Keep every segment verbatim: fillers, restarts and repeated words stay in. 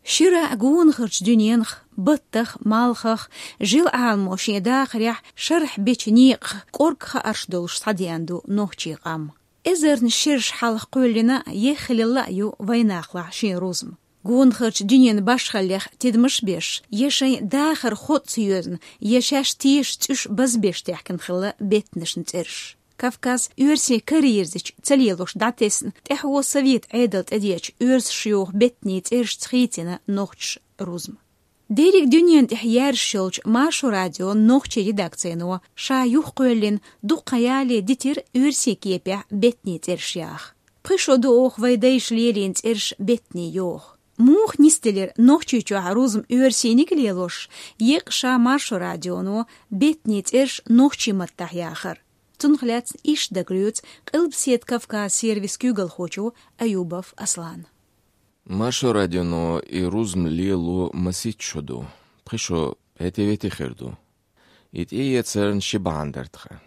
Шира гонахарчу дуьненах, баттах, малхах, жил Ӏаламо шен дахарехь шарахь бечу некъах кӀорга хаарш долуш схьадеана ду нохчийн къам. Эзарна шераш хьалха кхоьллина, еххалелла а ю вайнахалахь шен рузма. Гонахарчу дуьненан башхаллех тидамаш а беш, я шайн дахар хоццу йоьзна, я шаьш тешаш цӀуьш базбеш техкина хилла беттанашна цӀераш. Кавказ оьрсийн карайирзича ца лелош дӀатесна, тӀаьхьо совет Ӏедал тӀедеача оьрсаша йоху беттанийн цӀерашца хийцина нохчаша рузма. Дерриг дуьненна тӀехь яьржаш йолчу Маршо радион нохчийн редакцино ша юхакхоьллина дуккха яле дитира оьрсийн кепехь беттанийн цӀераш яха. Пхи шо ду оха вайн дайша лелийна цӀераш беттанийн йоху. Муха нисделира Нохчийчохь рузма оьрсийниг а лелош, еккъа ша Маршо радионо беттанийн цӀераш нохчийн маттахь яхар? Цунах лаьцна иштта дагалоьцу Къилбаседа Кавказ сервисан куьйгалхочо Аюбов Аслана. Маршо радионо и рузма лело масийтта шо ду, пхи шо хӀетте-ветте хир ду. И тӀеэцарна ши бахьана дара тхан.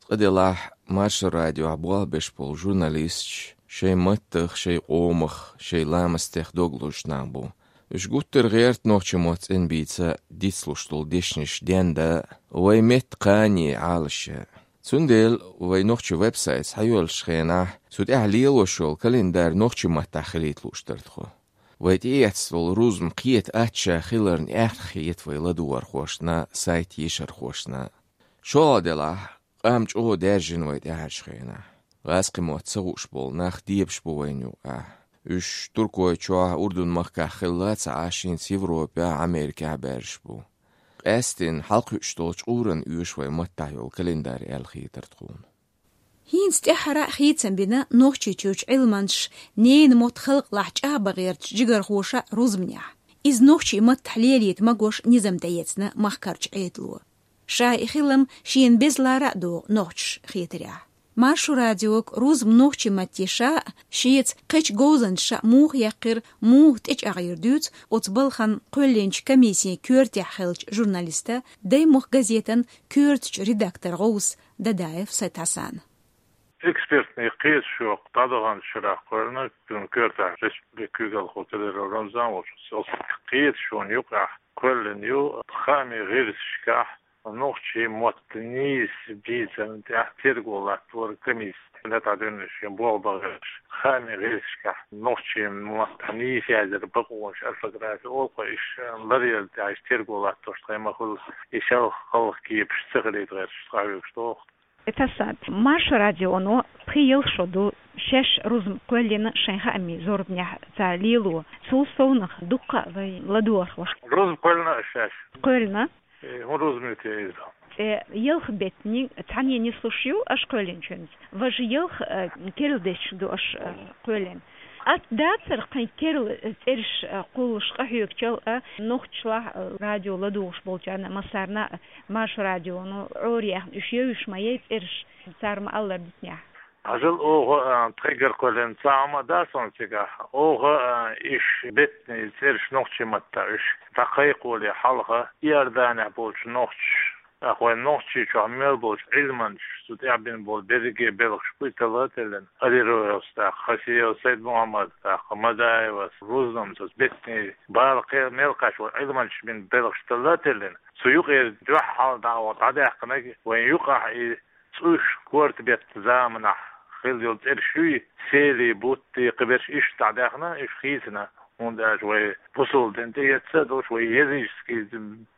Цкъа делахь, Маршо радиохь болх беш болу журналисташ шайн маттах, шайн къомах, шайн ламастех дог лозуш нах бу. Уьш гуттар а гӀерта нохчийн мотт цӀена бийца дицлуш долу дешнаш денда, вайн метта кхане Ӏалашъян. Цундела вайн нохчийн веб-сайт схьайоьллучу хенахь, цу тӀехь лелош йолу календарь нохчийн маттахь хилийта лууш дара тхо. Вай тӀеэцна долу рузма кхета аттачохь хиларна аьхна хета вай ладогӀархошна, сайт ешархошна. ШолгӀа делахь, къам чӀогӀа даьржина вай тӀаьхьарчу хенахь. ГӀазкхийн мотт ца хууш болу нах дебаш бу вайна юкъахь. Уьш Туркойчохь, Урдун-махкахь хилла ца Ӏаш, хӀинца Европехь, Америкехь баьржаш бу. Къаьсттина хьалакхуьуш долчу къуран оьшу вайн маттахь йолу календарь аьлла хетара тхуна. ХӀинца тӀаьххьара а хийцам бина Нохчийчуьрчу Ӏилманчаша, ненан мотт халкъалахь чӀагӀбан гӀертачу жигархоша рузманехь. Иза нохчийн маттахь лелийта магош низам тӀеэцна махкарчу Ӏедало. Ша и хилам шена беза лара а догӀу нохчаша хетарехь. Маршо радиога рузма нохчийн матте ша а, шеца кхечу говзанчаша а муха яьккхира, муха тӀечӀагӀйира дуьйцу оцу балхана кхоьллинчу комиссин коьртехь хиллачу журналиста, Даймохк газетан коьртачу редактор гӀовс Дадаев Сайд-Хьасана. Экспертный кхеташонах дӀадаханчу шарахь кхоьллина, цуьнан коьртехь республикан куьйгалхо Кадыров Рамзан волчу, оцу кхеташонна юкъахь кхоьллина ю хаамийн гӀирсашкахь нохчийн мотт нийса бийцарна тӀехь терго латтор комиссин тӀедуьйна шен болх бан гӀерташ. Хаамийн гӀирсашкахь нохчийн маттахь нийса яздина бакъонаш, орфографи олу-кх, уьш ларъяр тӀехь уьш терго латторш тхайн ма хуьллу, и шалха хала кепаш ца хилийта гӀерташ схьахьоьгуш доху. Эцасса, Маршо радионо пхи-ялх шо ду шаьш рузма кхоьллина шайн хаамийн зорбанехь цара лело. Цул совнах дуккха а вайн ладогӀархоша. Рузма кхоьллина аша шаьш? Кхоьллина. Э, хӀун рузма ю те иза? Цкъа ялх беттаниг цхьаьна нислуш ю аша кхоьллинчуьнца. Важа ялх, э, керла дешнаш ду аша, э, кхоьллина. Атта дацара кхин керла, э, цӀераш, э, кхуллуш къахьоьгучул а, нохчашлахь, э, радио ладугӀуш болчарна а, массарна а, Маршо радионо Ӏораяьхна, уьш евзаш ма яй цӀераш, цара ма-аллара дитинехь. Хьажал, оха, а, тхайгара кхоьллина цхьа хӀума а дац хьуна цигахь. Оха, а, уьш беттанийн цӀераш нохчийн маттахь уьш дӀакхайкхоле хьалха, Иорданехь болчу нохчаша, тӀаккха вайн Нохчийчохь мел болчу Ӏилманчаша цу тӀехь бина болу берриге белхаш буй талла а теллина, Алироевс, тӀаккха Хасиев Сайд-Мухьаммад, тӀаккха Мадаевас, рузманца беттанийн бала кхел мел кхаьчна волу Ӏилманчаша бина белхаш талла а теллина, цу юкъера дуьххьал дӀа оха дӀадаьккхинарг вайн юкъахь и цӀуш корта беттан заманахь хилла йолу цӀераш юй, Сели бутт, кхиберш иштта дӀадаьхна, уьш хийцина, хӀунда аьлча вай бусалба дин тӀеэцна а долуш, вай языческий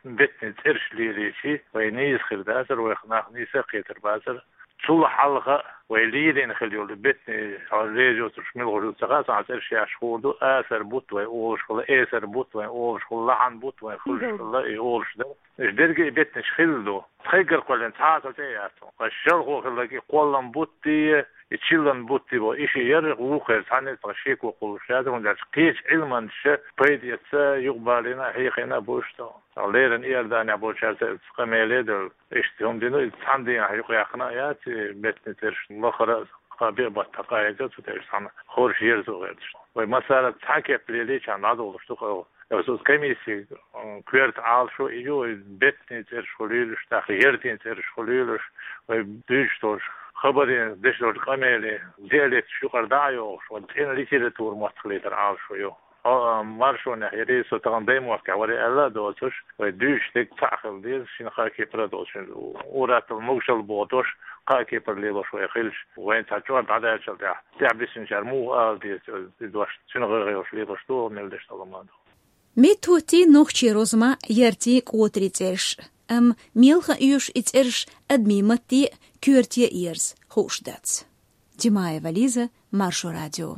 беттанийн цӀераш лелийча, вай нийса хир дацара, вайх нах нийса а кхетар бацара. Цул хьалха вай лелийна хилла йолу беттанийн, хьо леза йоцурш мила гӀур ду ца хаьа, цхьа цӀераш яьхьаш хуур ду, асар бутт вай олуш хилла, эсар бутт вай олуш хилла, лахьан бутт вай хуьлуш хилла, и олуш дара. Уьш дерриге а беттанаш хилла ду. Тхайгара кхоьллина цхьа а цо тӀе а яц. Ткъа шалхо хилларг и кхоллам бутт, и чиллан бутт бу. И ши яра, вукхара цхьанна а цхьа шеко кхуллуш яц, хӀунда аьлча кхечу Ӏилманчаша пайда эцна, юкъабалийна а, хьехийна а бу уьш тӀе. Цхьа леррина Иорданехь болчаьрца къамеле а девлла, иштта хӀума дина, иза цхьана дийнахь юкъаяьккхина а яц, и беттанийн цӀераш лахара а, кхаа-биъ баттахь къахьегна, цу тӀе уьш цхьана хорша ерзо гӀерташ. Вай массара а цхьа кеп лелийча дӀадолуш ду-кх. Оцу комиссин, м, коьрта Ӏалашо и ю, и беттанийн цӀераш хуьлийла уьш, тӀаккха яртийн цӀераш хуьлийла уьш, вай дуьйцуш долчу хабарийн, деш долчу къамелин диалекташ юкъара дӀа а йохуш, вайн цӀена литература мотт хилийтар Ӏалашо ю. Хьо, а, маршонехь ерриг со тахана Даймохкехь вара аьлла а доцуш, вай дуьйцуш дерг цхьаъ хила деза, шина кхаа кепара а доцуш, ур-атталла могушалла бохуш, кхаа кепара лелош вай хилча, вайна цхьа чӀор дӀадаьллачул тӀаьхьа, тӀаьхьа бисинчара муха ала деза и дош, цуьнан гӀайгӀа йолуш лелош ду, мел деш долу ма ду. Меттахоттий, нохчийн розамахь яртийн кӀотарийн цӀераш, амма мел хан оьшу и цӀераш адамийн матте а, коьрте а ерза, хууш дац. Димаева Лиза, Маршо радио.